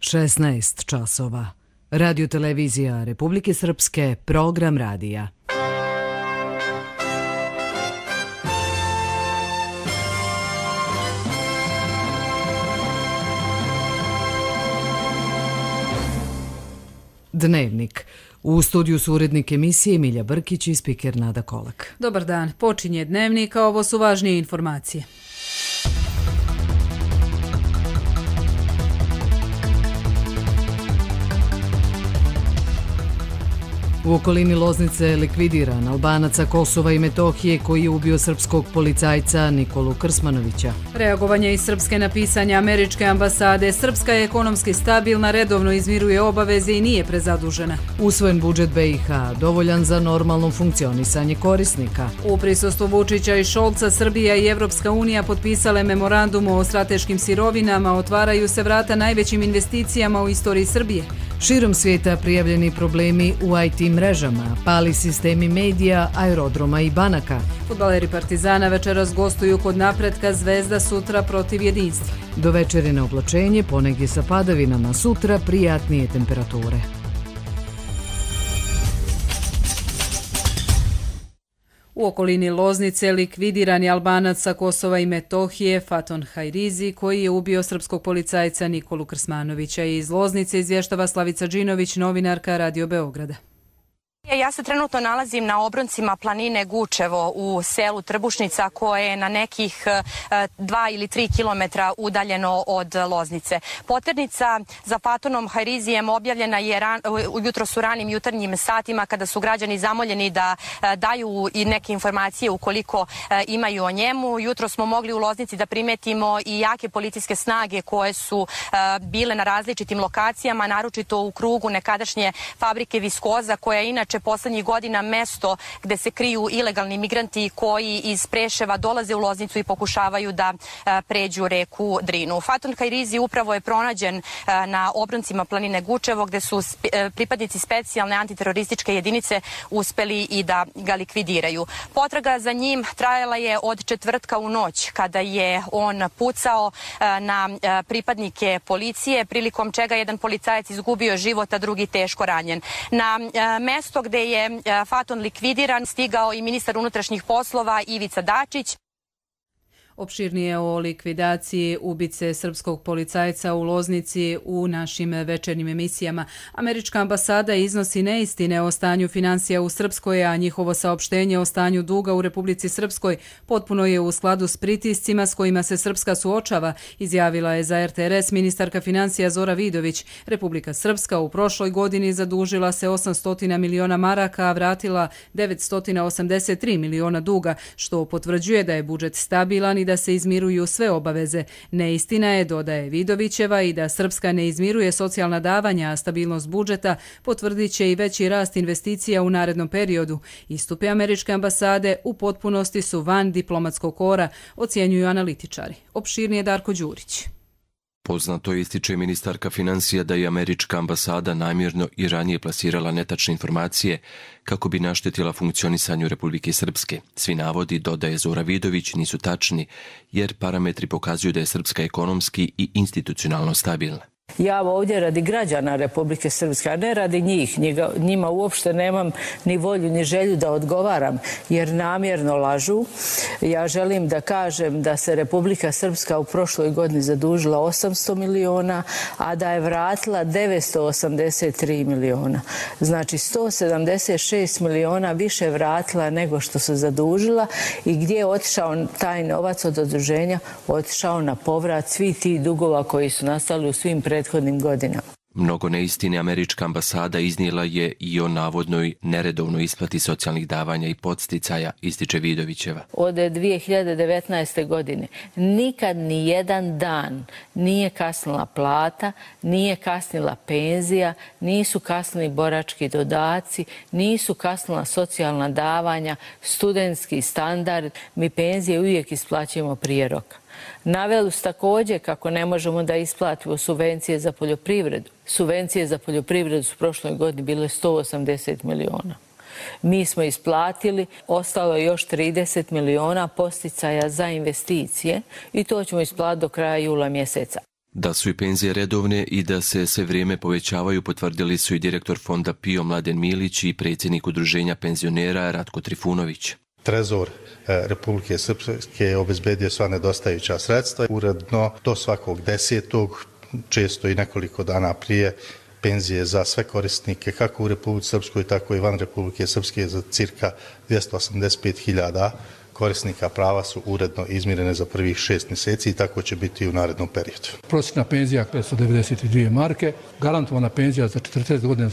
16 časova. Radio-televizija Republike Srpske, program radija. Dnevnik. U studiju su urednik emisije Milja Brkić i spiker Nada Kolak. Dobar dan. Počinje Dnevnik, a ovo su važnije informacije. U okolini Loznice je likvidiran Albanac sa Kosova i Metohije koji je ubio srpskog policajca Nikolu Krsmanovića. Reagovanje iz Srpske na pisanje američke ambasade. Srpska je ekonomski stabilna, redovno izmiruje obaveze i nije prezadužena. Usvojen budžet BiH, dovoljan za normalno funkcionisanje korisnika. U prisustvu Vučića i Šolca, Srbija i Evropska unija potpisale memorandum o strateškim sirovinama, otvaraju se vrata najvećim investicijama u istoriji Srbije. Širom svijeta prijavljeni problemi u IT mrežama, pali sistemi medija, aerodroma i banaka. Fudbaleri Partizana večeras gostuju kod Napretka, Zvezda sutra protiv Jedinstva. Do večerine oblačenje, ponegdje sa padavinama, sutra prijatnije temperature. U okolini Loznice likvidiran je Albanac sa Kosova i Metohije Faton Hajrizi koji je ubio srpskog policajca Nikolu Krsmanovića. Iz Loznice izvještava Slavica Đinović, novinarka Radio Beograda. Ja se trenutno nalazim na obroncima planine Gučevo u selu Trbušnica koje je na nekih 2 ili 3 kilometra udaljeno od Loznice. Poternica za Fatonom Hajrizijem objavljena je jutros u ranim jutarnjim satima kada su građani zamoljeni da daju i neke informacije ukoliko imaju o njemu. Jutro smo mogli u Loznici da primetimo i jake policijske snage koje su bile na različitim lokacijama, naročito u krugu nekadašnje fabrike Viskoza koja je inače poslednjih godina mesto gde se kriju ilegalni migranti koji iz Preševa dolaze u Loznicu i pokušavaju da pređu reku Drinu. Faton Hajrizi upravo je pronađen na obroncima planine Gučevo gde su pripadnici specijalne antiterorističke jedinice uspeli i da ga likvidiraju. Potraga za njim trajala je od četvrtka u noć kada je on pucao na pripadnike policije, prilikom čega jedan policajac izgubio život, a drugi teško ranjen. Na mesto gde je Faton likvidiran stigao i ministar unutrašnjih poslova Ivica Dačić. Opširnije o likvidaciji ubice srpskog policajca u Loznici u našim večernjim emisijama. Američka ambasada iznosi neistine o stanju finansija u Srpskoj, a njihovo saopštenje o stanju duga u Republici Srpskoj potpuno je u skladu s pritiscima s kojima se Srpska suočava, izjavila je za RTRS ministarka finansija Zora Vidović. Republika Srpska u prošloj godini zadužila se 800 miliona maraka, a vratila 983 miliona duga, što potvrđuje da je budžet stabilan i da se izmiruju sve obaveze. Neistina je, dodaje Vidovićeva, i da Srpska ne izmiruje socijalna davanja, a stabilnost budžeta potvrdit će i veći rast investicija u narednom periodu. Istupe američke ambasade u potpunosti su van diplomatskog kora, ocjenjuju analitičari. Opširnije Darko Đurić. Poznato ističe ministarka finansija da je američka ambasada namjerno i ranije plasirala netačne informacije kako bi naštetila funkcionisanju Republike Srpske. Svi navodi, dodaje Zora Vidović, nisu tačni jer parametri pokazuju da je Srpska ekonomski i institucionalno stabilna. Ja ovdje radi građana Republike Srpske, a ne radi njih. Njima uopšte nemam ni volju ni želju da odgovaram, jer namjerno lažu. Ja želim da kažem da se Republika Srpska u prošloj godini zadužila 800 miliona, a da je vratila 983 miliona. Znači 176 miliona više vratila nego što se zadužila. I gdje je otišao taj novac od zaduženja? Otišao na povrat svih tih dugova koji su nastali u svim prethodnim godinama. Mnogo neistine američka ambasada iznijela je i o navodnoj neredovnoj isplati socijalnih davanja i podsticaja, ističe Vidovićeva. Od 2019. godine nikad ni jedan dan nije kasnila plata, nije kasnila penzija, nisu kasnili borački dodaci, nisu kasnila socijalna davanja, studentski standard. Mi penzije uvijek isplaćujemo prije roka. Naveli su također kako ne možemo da isplatimo subvencije za poljoprivredu. Subvencije za poljoprivredu su u prošloj godini bile 180 miliona. Mi smo isplatili, ostalo je još 30 miliona podsticaja za investicije i to ćemo isplatiti do kraja jula mjeseca. Da su i penzije redovne i da se sve vrijeme povećavaju potvrdili su i direktor fonda PIO Mladen Milić i predsjednik udruženja penzionera Ratko Trifunović. Trezor Republike Srpske je obezbedio sva nedostajuća sredstva. Uredno do svakog 10. često i nekoliko dana prije penzije za sve korisnike kako u Republici Srpskoj tako i van Republike Srpske za cirka 285.000 korisnika prava su uredno izmirene za prvih 6 mjeseci i tako će biti i u narednom periodu. Prosječna penzija 592 marke, garantovana penzija za 40 godina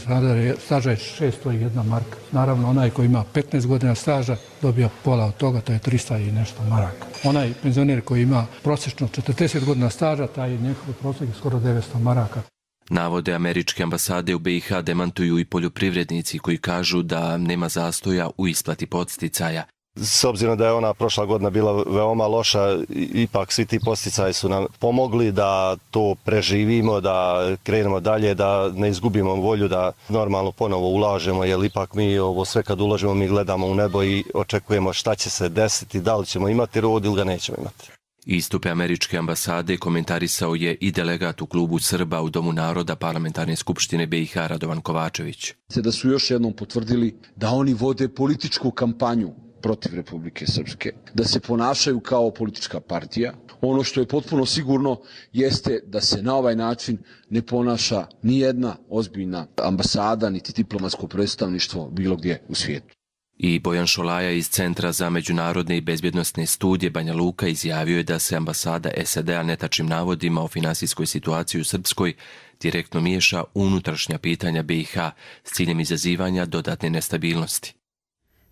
staža je 601 marka. Naravno, onaj koji ima 15 godina staža dobija pola od toga, to je 300 i nešto maraka. Onaj penzioner koji ima prosječno 40 godina staža, taj je njegov prosjek skoro 900 maraka. Navode američke ambasade u BiH demantuju i poljoprivrednici koji kažu da nema zastoja u isplati podsticaja. S obzirom da je ona prošla godina bila veoma loša, ipak svi ti podsticaji su nam pomogli da to preživimo, da krenemo dalje, da ne izgubimo volju, da normalno ponovo ulažemo, jer ipak mi ovo sve kad ulažemo mi gledamo u nebo i očekujemo šta će se desiti, da li ćemo imati rod ili ga nećemo imati. Istupe američke ambasade komentarisao je i delegat u klubu Srba u Domu naroda Parlamentarne skupštine BiH Radovan Kovačević. Da su još jednom potvrdili da oni vode političku kampanju protiv Republike Srpske, da se ponašaju kao politička partija. Ono što je potpuno sigurno jeste da se na ovaj način ne ponaša ni jedna ozbiljna ambasada niti diplomatsko predstavništvo bilo gdje u svijetu. I Bojan Šolaja iz Centra za međunarodne i bezbjednosne studije Banja Luka izjavio je da se ambasada SAD-a netačnim navodima o finansijskoj situaciji u Srpskoj direktno miješa u unutrašnja pitanja BiH s ciljem izazivanja dodatne nestabilnosti.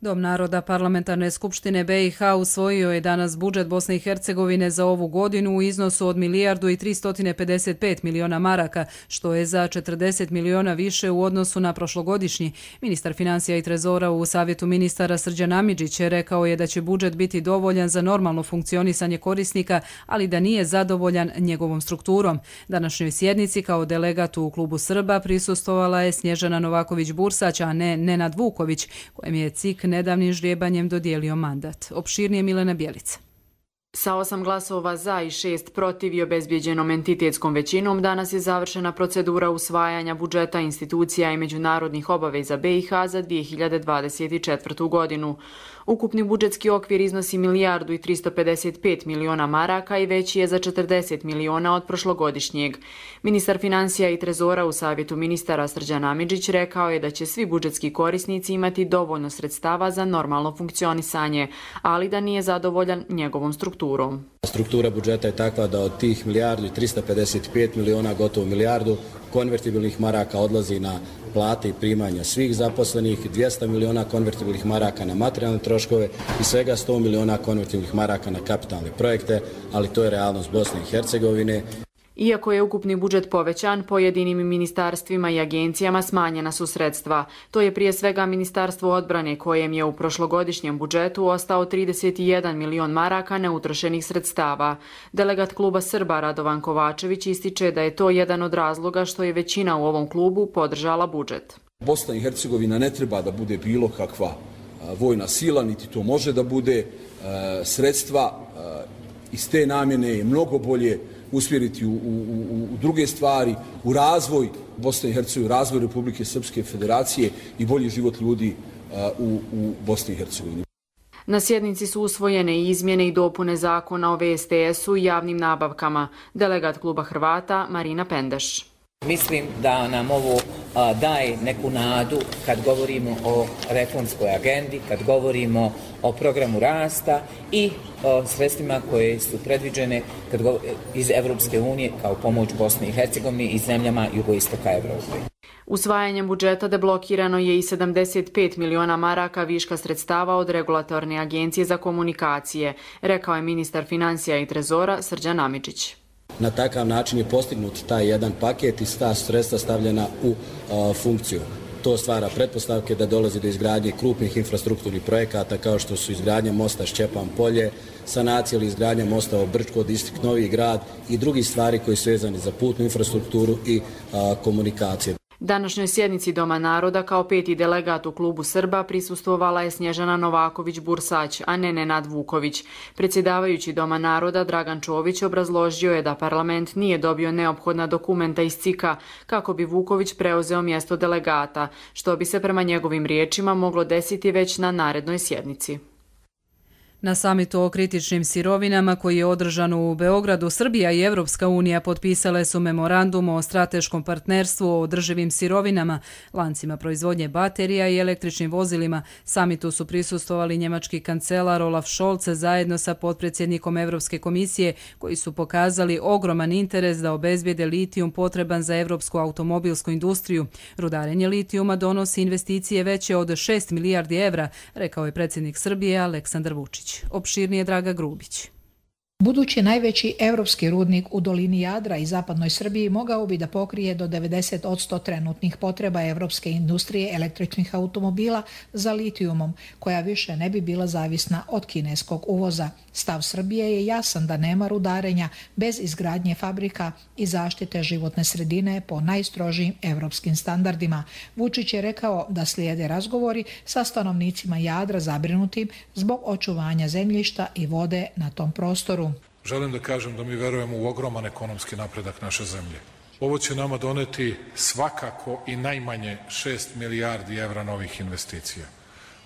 Dom naroda Parlamentarne skupštine BiH usvojio je danas budžet Bosne i Hercegovine za ovu godinu u iznosu od 1.355 miliona maraka, što je za 40 miliona više u odnosu na prošlogodišnji. Ministar financija i trezora u Savjetu ministara Srđan Amidžić rekao je da će budžet biti dovoljan za normalno funkcionisanje korisnika, ali da nije zadovoljan njegovom strukturom. Današnjoj sjednici kao delegat u klubu Srba prisustvovala je Snježana Novaković-Bursać, a ne Nenad Vuković, kojem je CIK nedavnim ždrijebanjem dodijelio mandat. Opširnije Milena Bjelica. Sa 8 glasova za i 6 protiv i obezbijeđenom entitetskom većinom danas je završena procedura usvajanja budžeta institucija i međunarodnih obaveza BiH za 2024. godinu. Ukupni budžetski okvir iznosi 1.355 miliona maraka i veći je za 40 miliona od prošlogodišnjeg. Ministar financija i trezora u Savjetu ministara Srđan Amidžić rekao je da će svi budžetski korisnici imati dovoljno sredstava za normalno funkcionisanje, ali da nije zadovoljan njegovom strukturom. Struktura budžeta je takva da od tih 1.355 miliona, gotovo milijardu konvertibilnih maraka odlazi na plate i primanja svih zaposlenih, 200 miliona konvertibilnih maraka na materijalne troškove i svega 100 miliona konvertibilnih maraka na kapitalne projekte, ali to je realnost Bosne i Hercegovine. Iako je ukupni budžet povećan, pojedinim ministarstvima i agencijama smanjena su sredstva. To je prije svega Ministarstvo odbrane kojem je u prošlogodišnjem budžetu ostao 31 milion maraka neutrošenih sredstava. Delegat kluba Srba Radovan Kovačević ističe da je to jedan od razloga što je većina u ovom klubu podržala budžet. Bosna i Hercegovina ne treba da bude bilo kakva vojna sila, niti to može da bude. Sredstva iz te namjene je mnogo bolje usmjeriti u druge stvari, u razvoj Bosne i Hercegovine, razvoj Republike Srpske Federacije i bolji život ljudi u Bosni i Hercegovini. Na sjednici su usvojene i izmjene i dopune zakona o VSTS-u i javnim nabavkama. Delegat kluba Hrvata Marina Pendeš. Mislim da nam ovo daje neku nadu kad govorimo o reformskoj agendi, kad govorimo o programu rasta i o sredstvima koje su predviđene iz Evropske unije kao pomoć Bosni i Hercegovini i zemljama jugoistoka Evrope. Usvajanjem budžeta deblokirano je i 75 miliona maraka viška sredstava od Regulatorne agencije za komunikacije, rekao je ministar financija i trezora Srđan Amidžić. Na takav način je postignut taj jedan paket i ta sredstva stavljena u funkciju. To stvara pretpostavke da dolazi do izgradnje krupnih infrastrukturnih projekata kao što su izgradnja mosta Šćepan Polje, sanacija ili izgradnja mosta Obrčko, distrikt Novi Grad i drugi stvari koji su vezani za putnu infrastrukturu i komunikacije. Današnjoj sjednici Doma naroda kao 5. delegat u klubu Srba prisustvovala je Snježana Novaković-Bursać, a ne Nenad Vuković. Predsjedavajući Doma naroda Dragan Čović obrazložio je da parlament nije dobio neophodna dokumenta iz CIK-a kako bi Vuković preuzeo mjesto delegata, što bi se prema njegovim riječima moglo desiti već na narednoj sjednici. Na samitu o kritičnim sirovinama koji je održan u Beogradu, Srbija i Evropska unija potpisale su memorandum o strateškom partnerstvu o održivim sirovinama, lancima proizvodnje baterija i električnim vozilima. Samitu su prisustvovali njemački kancelar Olaf Scholz zajedno sa potpredsjednikom Evropske komisije, koji su pokazali ogroman interes da obezbijede litijum potreban za evropsku automobilsku industriju. Rudarenje litijuma donosi investicije veće od 6 milijardi evra, rekao je predsjednik Srbije Aleksandar Vučić. Opširnije Draga Grubić. Budući najveći evropski rudnik u dolini Jadra i zapadnoj Srbiji mogao bi da pokrije do 90% trenutnih potreba evropske industrije električnih automobila za litijumom, koja više ne bi bila zavisna od kineskog uvoza. Stav Srbije je jasan da nema rudarenja bez izgradnje fabrika i zaštite životne sredine po najstrožijim evropskim standardima. Vučić je rekao da slijede razgovori sa stanovnicima Jadra zabrinutim zbog očuvanja zemljišta i vode na tom prostoru. Želim da kažem da mi verujemo u ogroman ekonomski napredak naše zemlje. Ovo će nama doneti svakako i najmanje 6 milijardi evra novih investicija.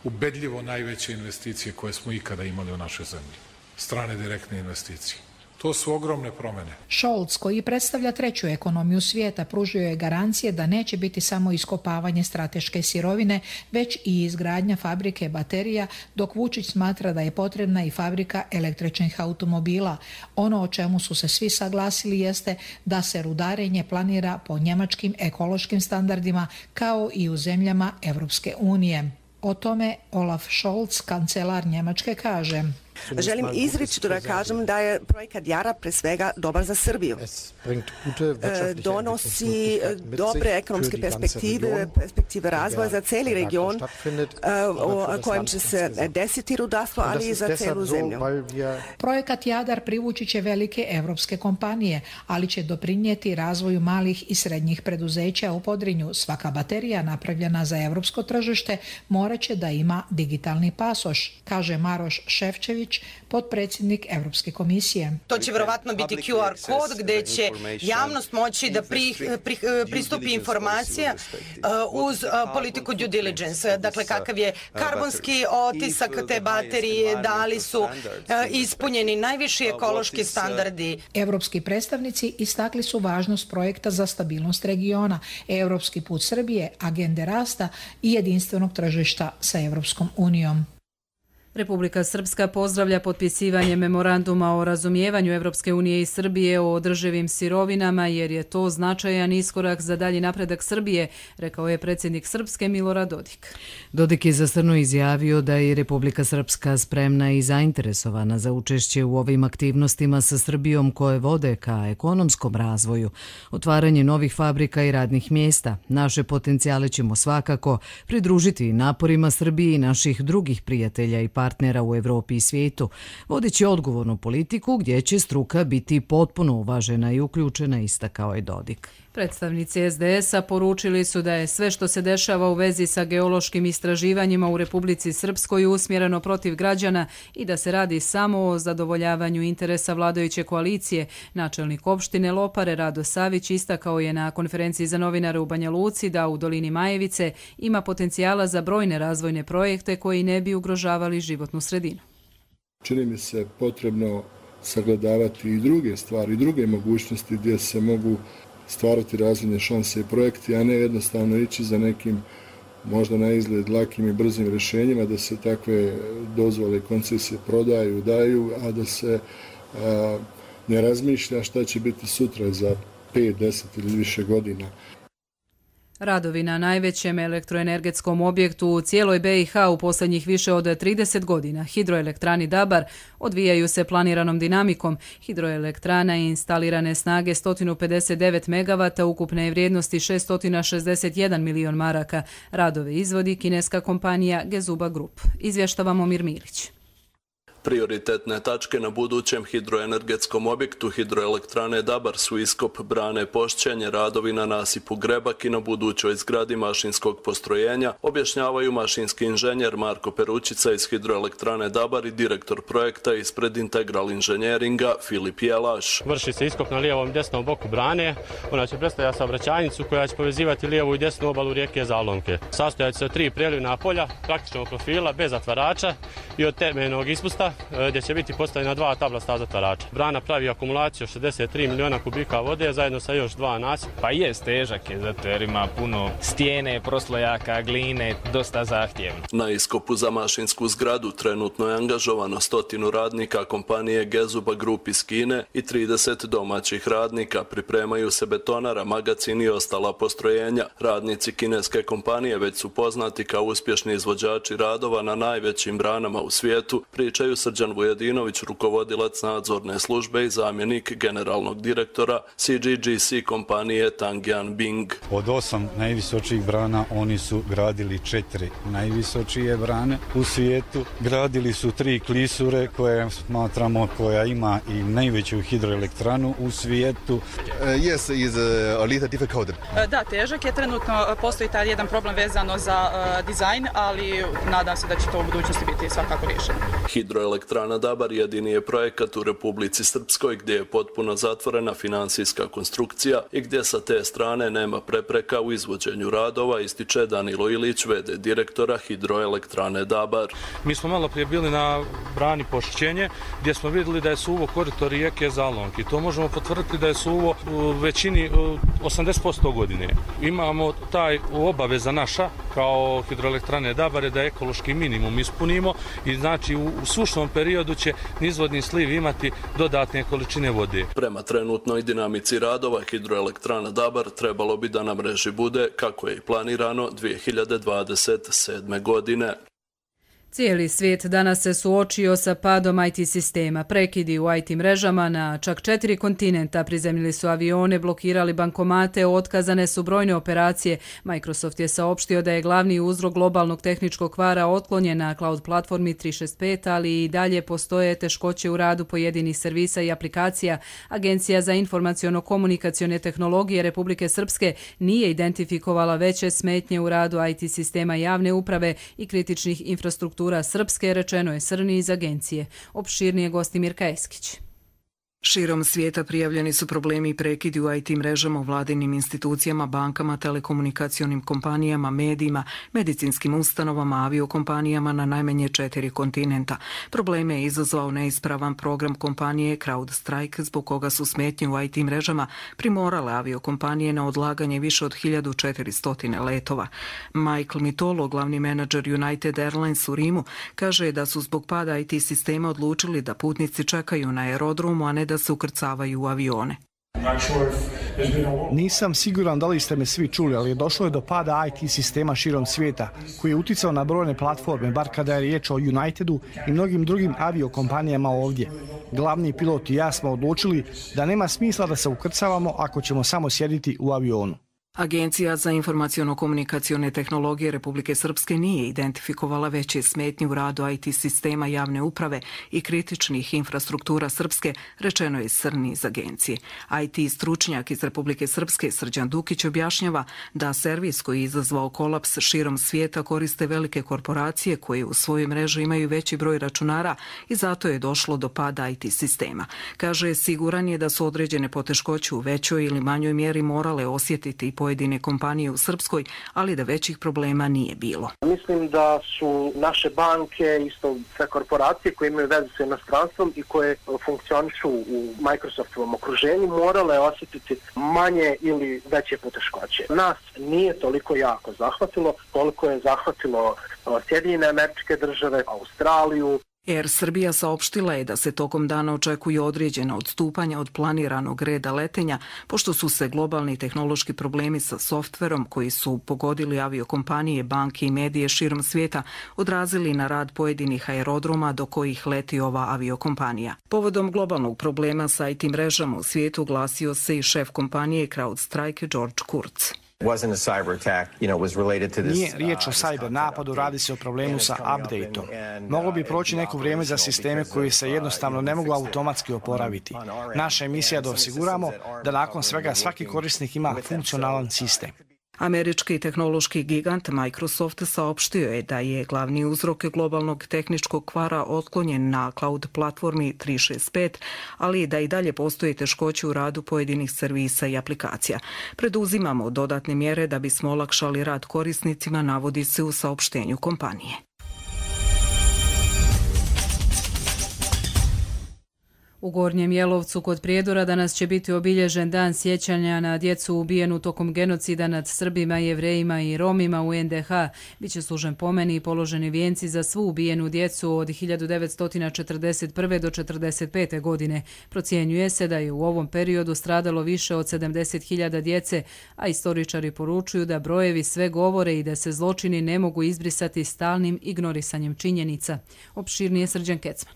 Ubedljivo najveće investicije koje smo ikada imali u našoj zemlji. Strane direktne investicije. To su ogromne promjene. Scholz, koji predstavlja treću ekonomiju svijeta, pružio je garancije da neće biti samo iskopavanje strateške sirovine, već i izgradnja fabrike baterija, dok Vučić smatra da je potrebna i fabrika električnih automobila. Ono o čemu su se svi saglasili jeste da se rudarenje planira po njemačkim ekološkim standardima kao i u zemljama Evropske unije. O tome Olaf Scholz, kancelar Njemačke, kaže: Želim izričito da kažem da je projekat Jara pre svega dobar za Srbiju. Donosi dobre ekonomske perspektive razvoja za cijeli region u kojem će se desiti rudarstvo, ali i za cijelu zemlju. Projekat Jadar privući će velike evropske kompanije, ali će doprinijeti razvoju malih i srednjih preduzeća u Podrinju. Svaka baterija napravljena za evropsko tržište morat će da ima digitalni pasoš, kaže Maroš Šefčević, potpredsjednik Evropske komisije. To će vjerovatno biti QR kod gdje će javnost moći da pristupi informacija uz politiku due diligence. Dakle, kakav je karbonski otisak te baterije, da li su ispunjeni najviši ekološki standardi. Evropski predstavnici istakli su važnost projekta za stabilnost regiona, Evropski put Srbije, agende rasta i jedinstvenog tržišta sa Evropskom unijom. Republika Srpska pozdravlja potpisivanje memoranduma o razumijevanju Evropske unije i Srbije o održivim sirovinama jer je to značajan iskorak za dalji napredak Srbije, rekao je predsjednik Srpske Milorad Dodik. Dodik je zastrano izjavio da je Republika Srpska spremna i zainteresovana za učešće u ovim aktivnostima sa Srbijom koje vode ka ekonomskom razvoju, otvaranje novih fabrika i radnih mjesta. Naše potencijale ćemo svakako pridružiti naporima Srbije i naših drugih prijatelja i partnera u Evropi i svijetu, vodeći odgovornu politiku gdje će struka biti potpuno uvažena i uključena, istakao je Dodik. Predstavnici SDS-a poručili su da je sve što se dešava u vezi sa geološkim istraživanjima u Republici Srpskoj usmjereno protiv građana i da se radi samo o zadovoljavanju interesa vladajuće koalicije. Načelnik opštine Lopare Rado Savić istakao je na konferenciji za novinare u Banja Luci da u dolini Majevice ima potencijala za brojne razvojne projekte koji ne bi ugrožavali životnu sredinu. Čini mi se potrebno sagledavati i druge stvari, i druge mogućnosti gdje se mogu stvarati razvojne šanse i projekti, a ne jednostavno ići za nekim možda na izgled lakim i brzim rješenjima, da se takve dozvole i koncesije prodaju, daju, a da se ne razmišlja šta će biti sutra za 5, 10 ili više godina. Radovi na najvećem elektroenergetskom objektu u cijeloj BiH u posljednjih više od 30 godina, hidroelektrani Dabar, odvijaju se planiranom dinamikom. Hidroelektrana je instalirane snage 159 MW, ukupne vrijednosti 661 milion maraka. Radove izvodi kineska kompanija Gezuba Group. Izvještava Momir Milić. Prioritetne tačke na budućem hidroenergetskom objektu hidroelektrane Dabar su iskop brane Pošćenje, radovi na nasipu Grebak i na budućoj zgradi mašinskog postrojenja, objašnjavaju mašinski inženjer Marko Perućica iz hidroelektrane Dabar i direktor projekta ispred Integral inženjeringa Filip Jelaš. Vrši se iskop na lijevom i desnom boku brane. Ona će predstavljati saobraćajnicu koja će povezivati lijevu i desnu obalu rijeke Zalonke. Sastojaće se od 3 prelivna polja, praktičnog profila, bez zatvarača i od temeljnog ispusta gdje će biti postavljena 2 tablasta zatvarača. Brana pravi akumulaciju 63 miliona kubika vode zajedno sa još 2 nasipa. Pa jest težak je zato jer ima puno stijene, proslojaka, gline, dosta zahtjevno. Na iskopu za mašinsku zgradu trenutno je angažovano 100 radnika kompanije Gezuba Group iz Kine i 30 domaćih radnika. Pripremaju se betonara, magacin i ostala postrojenja. Radnici kineske kompanije već su poznati kao uspješni izvođači radova na najvećim branama u svijetu, pričaju Srđan Vujadinović, rukovodilac nadzorne službe i zamjenik generalnog direktora CGGC kompanije Tangyan Bing. Od 8 najvisočijih brana oni su gradili 4 najvisočije brane u svijetu. Gradili su 3 klisure koje smatramo koja ima i najveću hidroelektranu u svijetu. Yes, is a little difficult. Da, težak je. Trenutno postoji taj jedan problem vezano za dizajn, ali nadam se da će to u budućnosti biti svakako riješeno. Hidroelektrana Dabar jedini je projekat u Republici Srpskoj gdje je potpuno zatvorena finansijska konstrukcija i gdje sa te strane nema prepreka u izvođenju radova, ističe Danilo Ilić, v.d. direktora Hidroelektrane Dabar. Mi smo malo prije bili na brani Pošćenje gdje smo vidjeli da je suvo koridor rijeke Zalonke. To možemo potvrditi da je suvo u većini 80% godine. Imamo taj obaveza naša kao Hidroelektrane Dabar da ekološki minimum ispunimo i znači u sušnom periodu će nizvodni sliv imati dodatne količine vode. Prema trenutnoj dinamici radova Hidroelektrana Dabar trebalo bi da na mreži bude, kako je i planirano, 2027. godine. Cijeli svijet danas se suočio sa padom IT sistema. Prekidi u IT mrežama na čak 4 kontinenta, prizemljili su avione, blokirali bankomate, otkazane su brojne operacije. Microsoft je saopštio da je glavni uzrok globalnog tehničkog kvara otklonjen na cloud platformi 365, ali i dalje postoje teškoće u radu pojedinih servisa i aplikacija. Agencija za informaciono-komunikacione tehnologije Republike Srpske nije identifikovala veće smetnje u radu IT sistema javne uprave i kritičnih infrastruktura Srpske, rečeno je Srni iz agencije. Opširnije gosti Mirka Eskić. Širom svijeta prijavljeni su problemi i prekidi u IT mrežama u vladinim institucijama, bankama, telekomunikacionim kompanijama, medijima, medicinskim ustanovama, aviokompanijama na najmanje 4 kontinenta. Probleme je izazvao neispravan program kompanije CrowdStrike, zbog koga su smetnje u IT mrežama primorale aviokompanije na odlaganje više od 1400 letova. Michael Mitolo, glavni menadžer United Airlines u Rimu, kaže da su zbog pada IT sistema odlučili da putnici čekaju na aerodromu, a ne da se ukrcavaju u avione. Nisam siguran da li ste me svi čuli, ali došlo je do pada IT sistema širom svijeta, koji je uticao na brojne platforme, bar kada je riječ o Unitedu i mnogim drugim aviokompanijama ovdje. Glavni pilot i ja smo odlučili da nema smisla da se ukrcavamo ako ćemo samo sjediti u avionu. Agencija za informaciono-komunikacione tehnologije Republike Srpske nije identifikovala veće smetnje u radu IT sistema javne uprave i kritičnih infrastruktura Srpske, rečeno je Srni iz agencije. IT stručnjak iz Republike Srpske Srđan Dukić objašnjava da servis koji je izazvao kolaps širom svijeta koriste velike korporacije koje u svojoj mreži imaju veći broj računara i zato je došlo do pada IT sistema. Kaže, siguran je da su određene poteškoće u većoj ili manjoj mjeri morale osjetiti i pojedine kompanije u Srpskoj, ali da većih problema nije bilo. Mislim da su naše banke, isto sve korporacije koje imaju vezu sa inostranstvom i koje funkcionišu u Microsoftovom okruženju, morale osjetiti manje ili veće poteškoće. Nas nije toliko jako zahvatilo, koliko je zahvatilo Sjedinjene Američke Države, Australiju. Air Srbija saopštila je da se tokom dana očekuje određena odstupanja od planiranog reda letenja, pošto su se globalni tehnološki problemi sa softverom koji su pogodili aviokompanije, banke i medije širom svijeta odrazili na rad pojedinih aerodroma do kojih leti ova aviokompanija. Povodom globalnog problema sa IT mrežama u svijetu glasio se i šef kompanije CrowdStrike George Kurtz. Nije riječ o cyber napadu, radi se o problemu sa updateom. Moglo bi proći neko vrijeme za sisteme koji se jednostavno ne mogu automatski oporaviti. Naša je misija da osiguramo da nakon svega svaki korisnik ima funkcionalan sistem. Američki tehnološki gigant Microsoft saopštio je da je glavni uzrok globalnog tehničkog kvara otklonjen na cloud platformi 365, ali da i dalje postoji teškoće u radu pojedinih servisa i aplikacija. Preduzimamo dodatne mjere da bismo olakšali rad korisnicima, navodi se u saopštenju kompanije. U Gornjem Jelovcu kod Prijedora danas će biti obilježen dan sjećanja na djecu ubijenu tokom genocida nad Srbima, Jevrejima i Romima u NDH. Biće služen pomen i položeni vijenci za svu ubijenu djecu od 1941. do 1945. godine. Procjenjuje se da je u ovom periodu stradalo više od 70.000 djece, a istoričari poručuju da brojevi sve govore i da se zločini ne mogu izbrisati stalnim ignorisanjem činjenica. Opširnije Srđan Kecman.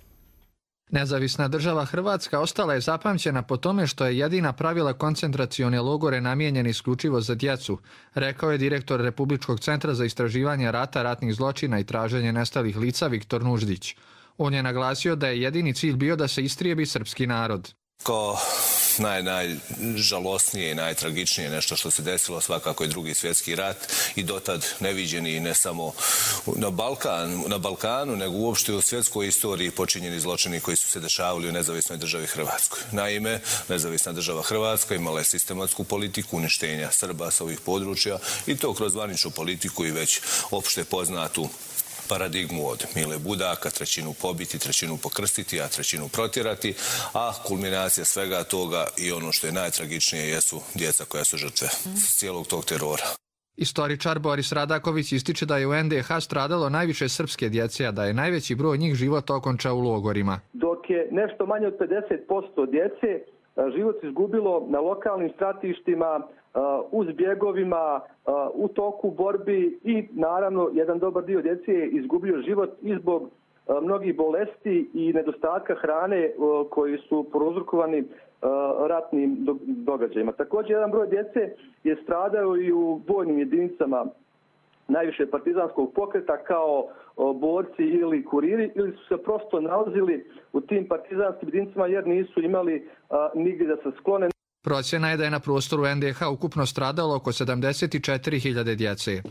Nezavisna država Hrvatska ostala je zapamćena po tome što je jedina pravila koncentracione logore namijenjene isključivo za djecu, rekao je direktor Republičkog centra za istraživanje rata, ratnih zločina i traženje nestalih lica Viktor Nuždić. On je naglasio da je jedini cilj bio da se istrijebi srpski narod. Kao najžalosnije i najtragičnije nešto što se desilo svakako je Drugi svjetski rat i dotad neviđeni ne samo na Balkanu, nego uopšte u svjetskoj istoriji počinjeni zločini koji su se dešavali u nezavisnoj državi Hrvatskoj. Naime, nezavisna država Hrvatska imala je sistematsku politiku uništenja Srba sa ovih područja i to kroz zvaničnu politiku i već opšte poznatu paradigmu od Mile Budaka, 1/3 pobiti, 1/3 pokrstiti, a 1/3 protjerati, a kulminacija svega toga i ono što je najtragičnije jesu djeca koja su žrtve cijelog tog terora. Istoričar Boris Radaković ističe da je u NDH stradalo najviše srpske djece, a da je najveći broj njih život okončao u logorima. Dok je nešto manje od 50% djece život izgubilo na lokalnim stratištima, uz bjegovima, u toku borbi i naravno jedan dobar dio djece je izgubio život i zbog mnogih bolesti i nedostatka hrane koji su prouzrokovani ratnim događajima. Također jedan broj djece je stradao i u vojnim jedinicama najviše partizanskog pokreta kao borci ili kuriri ili su se prosto nalazili u tim partizanskim jedinicama jer nisu imali nigdje da se sklone. Procjena je da je na prostoru NDH ukupno stradalo oko 74.000 djece.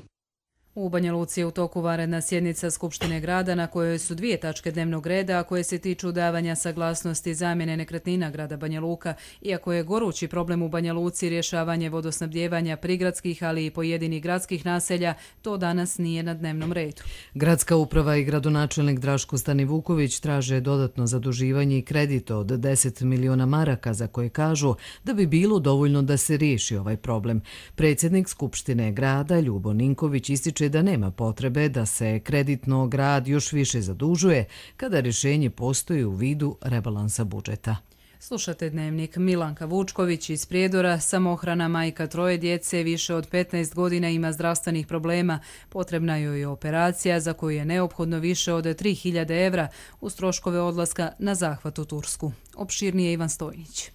U Banja Luci je u toku vanredna sjednica Skupštine grada na kojoj su 2 tačke dnevnog reda, a koje se tiču davanja saglasnosti zamjene nekretnina grada Banja Luka. Iako je gorući problem u Banja Luci rješavanje vodosnabdijevanja prigradskih, ali i pojedinih gradskih naselja, to danas nije na dnevnom redu. Gradska uprava i gradonačelnik Draško Stanivuković traže dodatno zaduživanje i kredit od 10 miliona maraka za koje kažu da bi bilo dovoljno da se riješi ovaj problem. Predsjednik Skupštine grada Ljubo Ninković ističe da nema potrebe da se kreditno grad još više zadužuje kada rješenje postoji u vidu rebalansa budžeta. Slušate Dnevnik. Milanka Vučković iz Prijedora, samohrana majka 3 djece, više od 15 godina ima zdravstvenih problema. Potrebna joj je operacija za koju je neophodno više od 3.000 evra uz troškove odlaska na zahvat u Tursku. Opširnije Ivan Stojnić.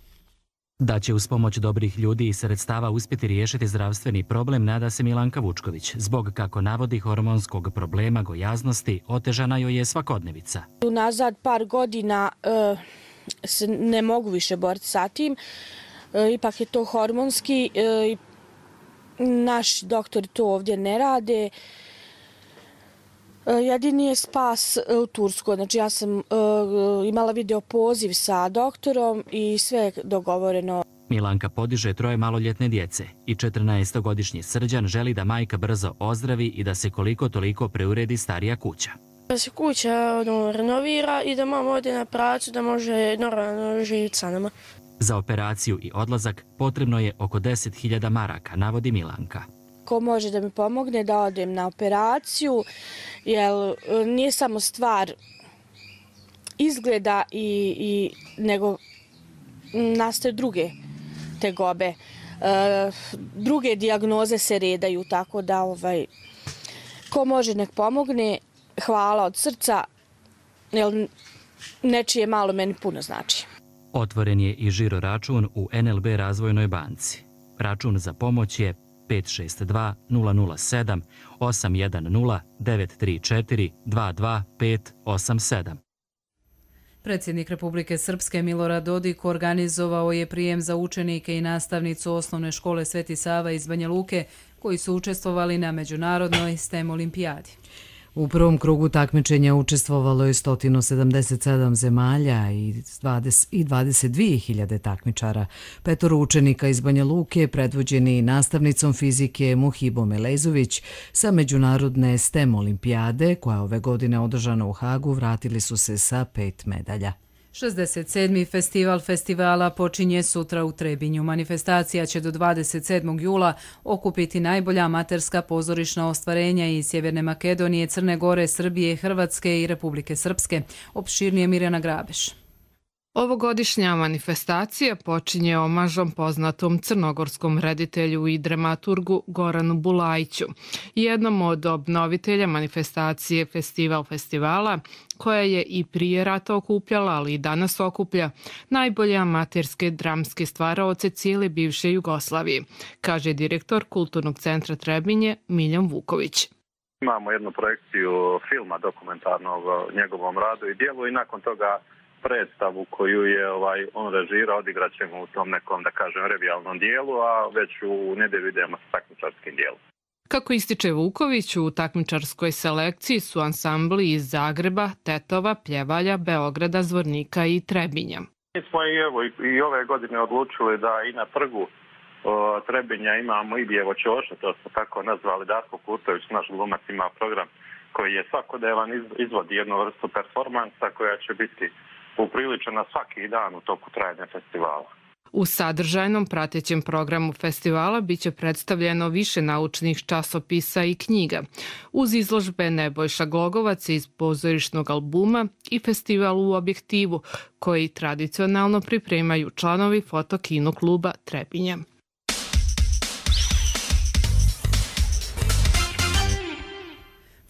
Da će uz pomoć dobrih ljudi i sredstava uspjeti riješiti zdravstveni problem, nada se Milanka Vučković. Zbog, kako navodi, hormonskog problema gojaznosti, otežana joj je svakodnevica. Unazad par godina se ne mogu više boriti sa tim. Ipak je to hormonski. Naši doktori to ovdje ne rade. Jedini je spas u Turskoj. Znači ja sam imala video poziv sa doktorom i sve je dogovoreno. Milanka podiže 3 maloljetne djece i 14-godišnji Srđan želi da majka brzo ozdravi i da se koliko toliko preuredi starija kuća. Da se kuća renovira i da mama ode na praksu da može normalno živjeti sa nama. Za operaciju i odlazak potrebno je oko 10.000 maraka, navodi Milanka. Ko može da mi pomogne da odem na operaciju, jer nije samo stvar izgleda nego nastaju druge tegobe. Druge dijagnoze se redaju, tako da ko može nek pomogne, hvala od srca, jer nečije malo meni puno znači. Otvoren je i žiro račun u NLB Razvojnoj banci. Račun za pomoć je 562 007 810 934 22 587. Predsjednik Republike Srpske Milorad Dodik organizovao je prijem za učenike i nastavnicu osnovne škole Sveti Sava iz Banja Luke koji su učestvovali na međunarodnoj STEM olimpijadi. U prvom krugu takmičenja učestvovalo je 177 zemalja i 22.000 takmičara. 5 učenika iz Banja Luke, predvođeni nastavnicom fizike Muhibom Elezović, sa međunarodne STEM olimpijade, koja ove godine održana u Hagu, vratili su se sa 5 medalja. 67. festival festivala počinje sutra u Trebinju. Manifestacija će do 27. jula okupiti najbolja amaterska pozorišna ostvarenja iz Sjeverne Makedonije, Crne Gore, Srbije, Hrvatske i Republike Srpske. Opširnije Mirjana Grabeš. Ovogodišnja manifestacija počinje omažom poznatom crnogorskom reditelju i dramaturgu Goranu Bulajiću, jednom od obnovitelja manifestacije Festival festivala, koja je i prije rata okupljala, ali i danas okuplja najbolje amaterske dramske stvaraoce cijele bivše Jugoslavije, kaže direktor Kulturnog centra Trebinje Miljan Vuković. Imamo jednu projekciju filma dokumentarnog o njegovom radu i dijelu i nakon toga predstavu koju je on režirao, odigrat ćemo u tom nekom, da kažem, revijalnom dijelu, a već u nedjelju idemo sa takmičarskim dijelom. Kako ističe Vuković, u takmičarskoj selekciji su ansambli iz Zagreba, Tetova, Pljevalja, Beograda, Zvornika i Trebinja. Mi smo i ove godine odlučili da i na trgu Trebinja imamo i Bijevo Ćoša, to smo tako nazvali. Darko Kurtović, naš glumac, ima program koji je svakodnevan, izvodi jednu vrstu performansa koja će biti upriličena svaki dan u toku trajanja festivala. U sadržajnom pratećem programu festivala biće predstavljeno više naučnih časopisa i knjiga, uz izložbe Nebojša Glogovac iz pozorišnog albuma i festival u objektivu, koji tradicionalno pripremaju članovi Foto-kino kluba Trebinje.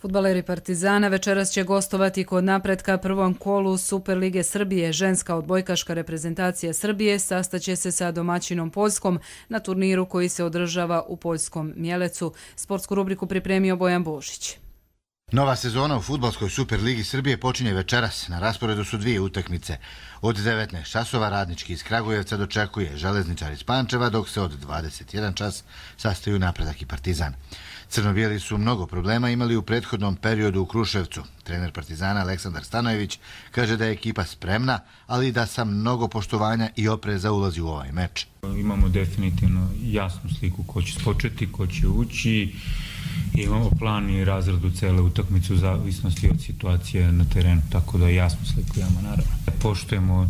Fudbaleri Partizana večeras će gostovati kod napretka prvom kolu Superlige Srbije. Ženska odbojkaška reprezentacija Srbije sastaće se sa domaćinom Poljskom na turniru koji se održava u poljskom Mjelecu. Sportsku rubriku pripremio Bojan Božić. Nova sezona u Fudbalskoj Superligi Srbije počinje večeras. Na rasporedu su 2 utakmice. Od 19 časova Radnički iz Kragujevca dočekuje Železničar iz Pančeva, dok se od 21 čas sastaju Napredak i Partizan. Crno-bijeli su mnogo problema imali u prethodnom periodu u Kruševcu. Trener Partizana Aleksandar Stanojević kaže da je ekipa spremna, ali da sa mnogo poštovanja i opreza ulazi u ovaj meč. Imamo definitivno jasnu sliku ko će početi, ko će ući. Imamo plan i razradu cele utakmice u zavisnosti od situacije na terenu, tako da jasnu sliku imamo naravno. Poštujemo,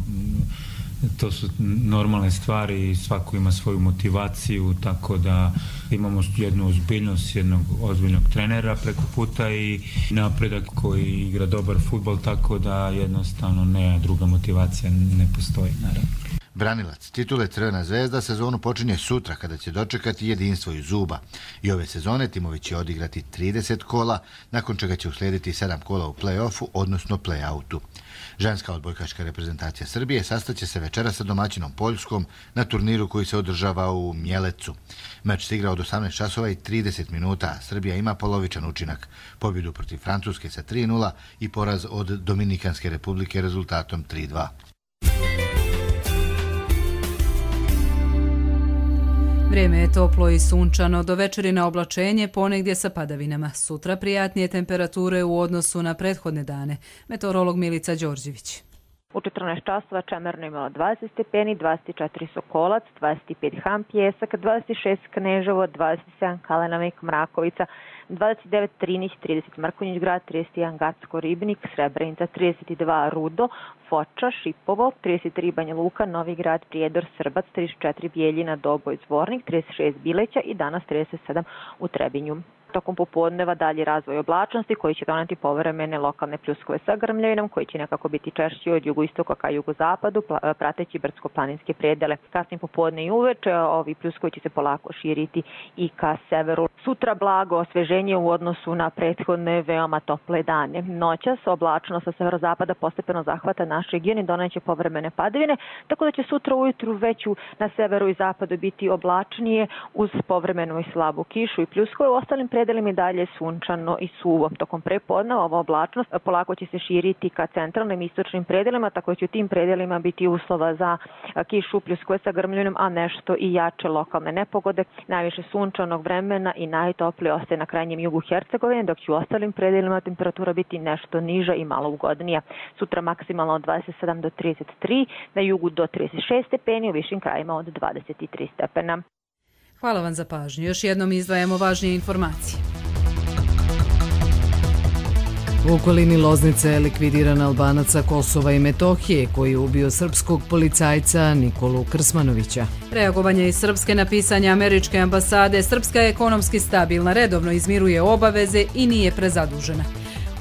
to su normalne stvari, svako ima svoju motivaciju, tako da imamo jednu ozbiljnost jednog ozbiljnog trenera preko puta i Napredak koji igra dobar fudbal, tako da jednostavno druga motivacija ne postoji naravno. Branilac titule Crvena zvezda sezonu počinje sutra kada će dočekati jedinstvo iz Zuba. I ove sezone timovi će odigrati 30 kola, nakon čega će uslijediti 7 kola u play-offu, odnosno play-outu. Ženska odbojkaška reprezentacija Srbije sastaće se večera sa domaćinom Poljskom na turniru koji se održava u Mjelecu. Meč se igra od 18 časova i 30 minuta, a Srbija ima polovičan učinak. Pobjedu protiv Francuske sa 3:0 i poraz od Dominikanske republike rezultatom 3:2. Vrijeme je toplo i sunčano, do večeri na oblačenje, ponegdje sa padavinama. Sutra prijatnije temperature u odnosu na prethodne dane. Meteorolog Milica Đorđević. U 14 časova Čemerno imalo 20 stepeni, 24 Sokolac, 25 Ham Pjesak, 26 Kneževo, 27 Kalenavik Mrakovica, 29 Trinić, 30 Mrkonjić grad, 31 Gacko Ribnik, Srebrenica, 32 Rudo, Foča, Šipovo, 33 Banja Luka, Novi grad, Prijedor, Srbac, 34 Bijeljina, Doboj, Zvornik, 36 Bileća i danas 37 u Trebinju. Tokom popodneva dalji razvoj oblačnosti koji će doneti povremene lokalne pljuskove sa grmljavinom koji će nekako biti češći od jugoistoka ka jugozapadu, prateći brdsko-planinske predele. Kasnije popodne i uveče ovi pljuskovi će se polako širiti i ka severu. Sutra blago osveženje u odnosu na prethodne veoma tople dane. Noćas oblačnost sa severozapada postepeno zahvata naš region i doneće povremene padavine, tako da će sutra ujutru već na severu i zapadu biti oblačnije uz povremenu i slabu kišu i pljuskove. U ostalim predelima i dalje sunčano i suvo. Tokom prepodneva ova oblačnost polako će se širiti ka centralnim i istočnim predelima, tako da će u tim predelima biti uslova za kišu, pljuskove sa grmljavinom, a nešto i jače lokalne nepogode. Najviše sunčanog vremena i najtoplije ostaje na krajnjem jugu Hercegovine, dok će u ostalim predelima temperatura biti nešto niža i malo ugodnija. Sutra maksimalno od 27 do 33, na jugu do 36 stepeni, u višim krajima od 23 stepena. Hvala vam za pažnju. Još jednom izdvajamo važnije informacije. U okolini Loznice je likvidiran Albanac sa Kosova i Metohije koji je ubio srpskog policajca Nikolu Krsmanovića. Reagovanje iz Srpske na pisanje američke ambasade. Srpska je ekonomski stabilna, redovno izmiruje obaveze i nije prezadužena.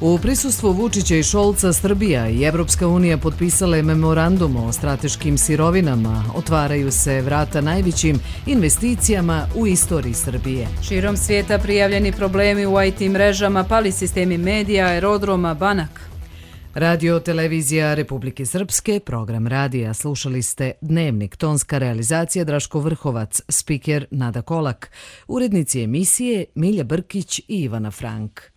U prisustvu Vučića i Šolca Srbija i Evropska unija potpisale memorandum o strateškim sirovinama. Otvaraju se vrata najvećim investicijama u istoriji Srbije. Širom svijeta prijavljeni problemi u IT mrežama, pali sistemi medija, aerodroma, banaka. Radio televizija Republike Srpske, program radija. Slušali ste Dnevnik, tonska realizacija Draško Vrhovac, spiker Nada Kolak, urednici emisije Milja Brkić i Ivana Frank.